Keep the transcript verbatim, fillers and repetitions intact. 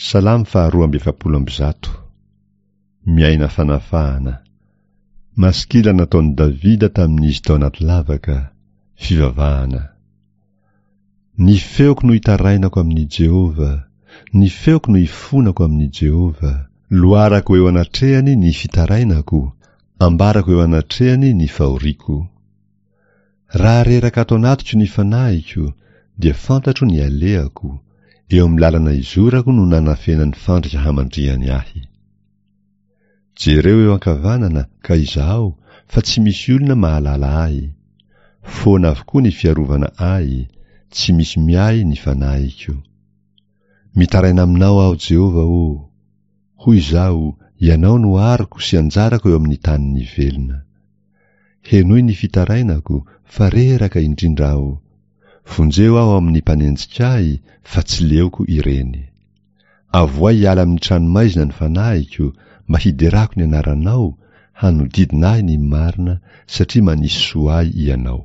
Salamo faharoa amby efapolo amby zato. Miaina fanafahana. Maskila nataon'i Davida tamin'izy tao anaty lavaka. Fivavahana. Ny feoko no itarainako amin'i Jehovah, ny feoko no ifonako amin'i Jehovah. Loarako eo anatrehany ny fitarainako, ambarako eo anatrehany ny fahoriako. Raha reraka ato anatiko ny fanahiko, dia fantatro ny alehako, eo amin'ny lalana izorako no nanafenany fandrika hamandrihany ahy. Jereo eo ankavanana ka izahao, fa tsy misy olona mahalala ahy. Foana avokoa ny fiarovana ahy, tsy misy miahy ny fanahiko. Mitaraina aminao aho, Jehovah ô! Hoy izaho, Ianao no aroko sy anjarako eo amin'ny tanin'ny velona. Henoy ny fitarainako, fa reraka indrindra aho. Vonjeo aho amin'ny mpanenjika ahy, fa tsy leoko ireny. Avoay hiala amin'ny tranomaizina ny fanahiko, mba hiderako ny anaranao, hanodidina ahy ny marina, satria manisy soa ahy Ianao.